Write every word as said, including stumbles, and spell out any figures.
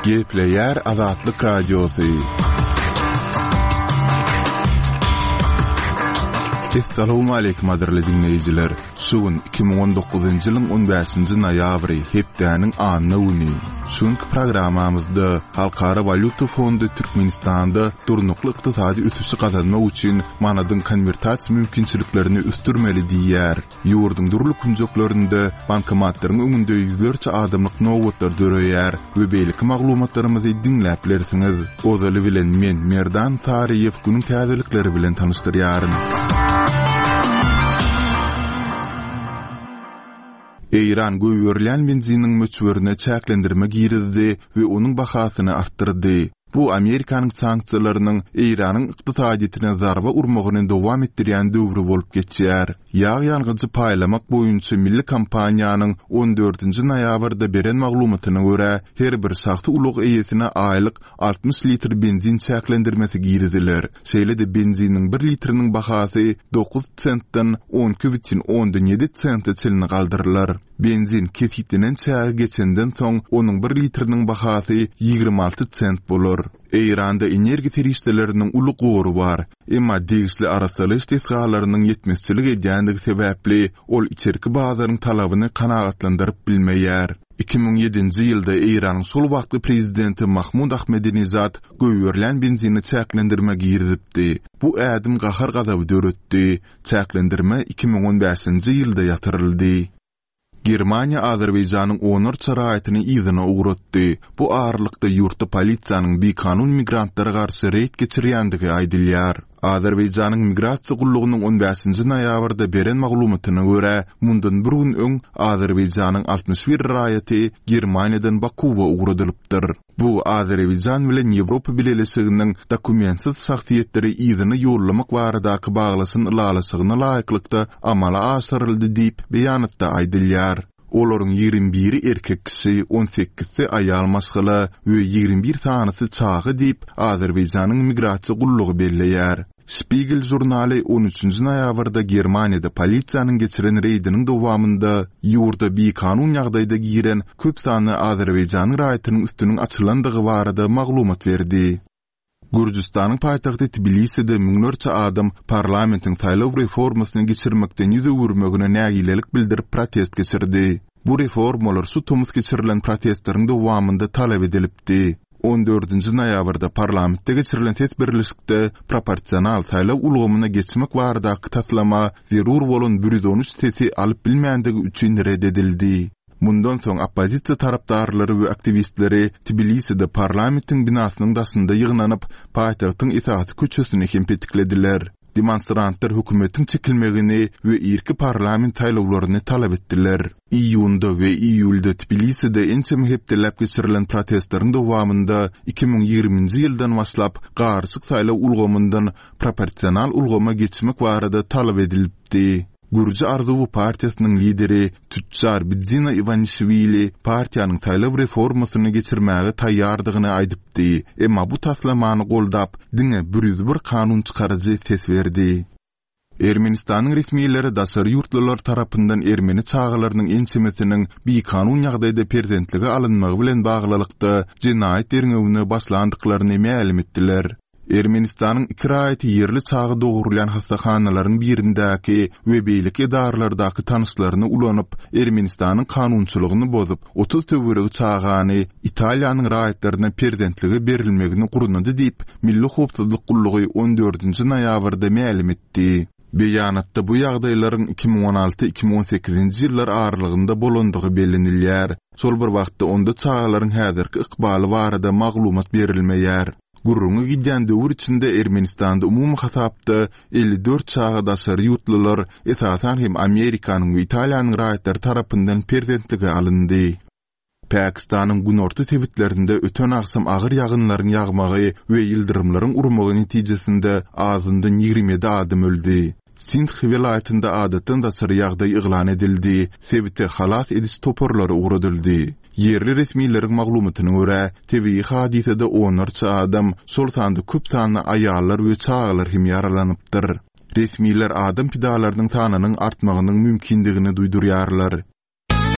Gepleýär Azatlyk Radiosy. Essalawmaleýkim gadyrly diňleýjiler! Şu gün iki müň on dokuzynjy ýylyň on bäşinji noýabry, hepdäniň anna güni. Şu günki programmamyzda Halkara walýuta fondy Türkmenistanda durnukly ykdysady ösüşi gazanmak üçin manadyň konwertasiýa mümkinçiliklerini ösdürmeli diýýär. Ýurduň dürli künjeklerinde bankomatlaryň öňünde ýüzlerçe adamlyk nobatlar döreýär we beýleki maglumatlarymyzy diňläp bilersiňiz. Ozaly bilen men Merdan Saryýew günüň täzelikleri bilen tanyşdyrýaryn. Eýran goýberilýän benziniň möçberine çäklendirme girizdi we onuň bahasyny artdyrdy. Bu Amerikanyň sanksiýalarynyň Eýranyň ykdysadyýetine zarba urmagyny dowam etdirýän döwri bolup geçýär. Ýag ýangyjy paýlamak boýunça milli kompaniýanyň on dördünji noýabrda beren maglumatyna görä, her bir şahsy ulag eýesine aýlyk altmyş litr benzin çäklendirmesi giriziler. Şeýle-de benziniň bir litriniň bahasy dokuz sentden on iki bütin ondan ýedi sente çenli galdyrylar. Benzin kesitlenen çägi geçenden soň onuň bir litriniň bahasy ýigrimi alty sent bolar. Eýranda energiýa serişdeleriniň uly gory bar, emma degişli arassalaýyş desgalarynyň ýetmezçilik edýändigi sebäpli ol içerki bazaryň talabyny kanagatlandyryp bilmeýär. Iki müň ýedinji ýylda Eýranyň şol wagtky prezidenti Mahmud Ahmedinejad goýberilýän benzini çäklendirme girizipdi. Bu ädim gahar gazaby döretdi. Çäklendirme iki müň on bäşinji ýylda ýatyryldy. Germaniýa Azerbaýjanyň onlarça raýatyny yzyna ugratdy. Bu aralykda ýurtda polisiýanyň bikanun migrantlara garşy reýd geçirýändigi aýdylýar. Azerbaýjanyň migrasiýa gullugynyň on bäşinji noýabrda beren maglumatyna görä, mundan bir gün öň Azerbaýjanyň altmyş bir raýaty Germaniýadan Bakuwa ugradylypdyr. Bu Azerbaýjan bilen Ýewropa Bileleşiginiň dokumentsiz şahsyýetleri yzyna ýollamak baradaky baglaşan ylalaşygyna laýyklykda amala aşyryldy diýip beýanatda aýdylýar. Olaryň ýigrimi biri erkek kişi, on sekizsi aýal maşgala we ýigrimi bir sanysy çaga diýip Azerbaýjanyň migrasiýa gullugy belleýär. Spiegel žurnaly on üçünji noýabrda Germaniýada polisiýanyň geçiren reýdiniň dowamynda ýurda bikanun ýagdaýda giren köp sanly Azerbaýjanyň raýatynyň üstüniň açylandygy barada maglumat berdi. Gürjüstanyň paýtagty Tbiliside müňlerçe adam parlamentiň saýlaw reformasyny geçirmekden ýüz öwürmegine nägilelik bildirip protest geçirdi. Bu reformalar şu tomus geçirilen protestleriň dowamynda talap edilipdi. On dördünji noýabrda parlamentde geçirilen ses birleşikde proporsional saýlaw ulgamyna geçmek baradaky taslama zerur bolan bir ýüz on üç sesi alyp bilmändigi üçin red edildi. Mundan soň oppozisiýa tarapdarlary we aktiwistleri Tbiliside parlamentiň binasynyň daşynda ýygnanyp, paýtagtyň esasy köçesini hem petiklediler. Demonstrantlar hökümetiň çekilmegini we irki parlament saýlawlaryny talap etdiler. Iýunda we iýulda Tbiliside ençeme hepdeläp geçirilen protestleriň dowamynda iki müň ýigriminji ýyldan başlap garyşyk saýlaw ulgamyndan proporsional ulgama geçmek barada talap edilipdi. Gürji Arzuwy partiýasynyň lideri Tütjar Bidzina Iwanişwili partiýanyň saýlaw reformasyny geçirmäge taýýardygyny aýdypdy. Emma bu taslamany goldap diňe bir ýüz bir kanun çykaryjy ses berdi. Ermenistanyň resmileri daşary ýurtlular tarapyndan ermeni çagalarynyň ençemesiniň bikanun ýagdaýda perzentlige alynmagy bilen baglylykda jenaýat derňewine başlandyklaryny mälim etdiler. Ermenistanyň iki raýaty ýerli çaga dogurylýan hastahanalaryň birindäki we beýleki edaralardaky tanyşlaryny ulanyp, Ermenistanyň kanunçylygyny bozup, otuz töweregi çagany Italiýanyň raýatlaryna perzentlige berilmegini gurnady diýip, Milli howpsuzlyk gullugy on dördünji noýabrda mälim etdi. Beýanatda bu ýagdaýlaryň iki müň on alty iki müň on sekizinji ýyllar aralygynda bolandygy bellenilýär. Şol bir wagtda onda çagalaryň häzirki ykbaly barada maglumat berilmeýär. Gürrüňi gidýän döwür içinde Ermenistanda umumy hasapda elli dört çaga daşary ýurtlular, esasan hem Amerikanyň we Italiýanyň raýatlary tarapyndan perzentlige alyndy. Pakistanyň günorta sebitlerinde öten agşam agyr ýagynlaryň ýagmagy we ýyldyrymlaryň urmagy netijesinde azyndan ýigrimi ýedi adam öldi. Sindh welaýatynda adatdan daşary ýagdaý yglan edildi, sebite halas ediş toparlary ugradyldy. Ýerli resmileriň maglumatyna görä, tebigy hadysada onlarça adam, şol sanda köp sanly aýallar we çagalar hem ýaralanypdyr. Resmiler adam pidalarynyň sanynyň artmagynyň mümkindigini duýdurýarlar.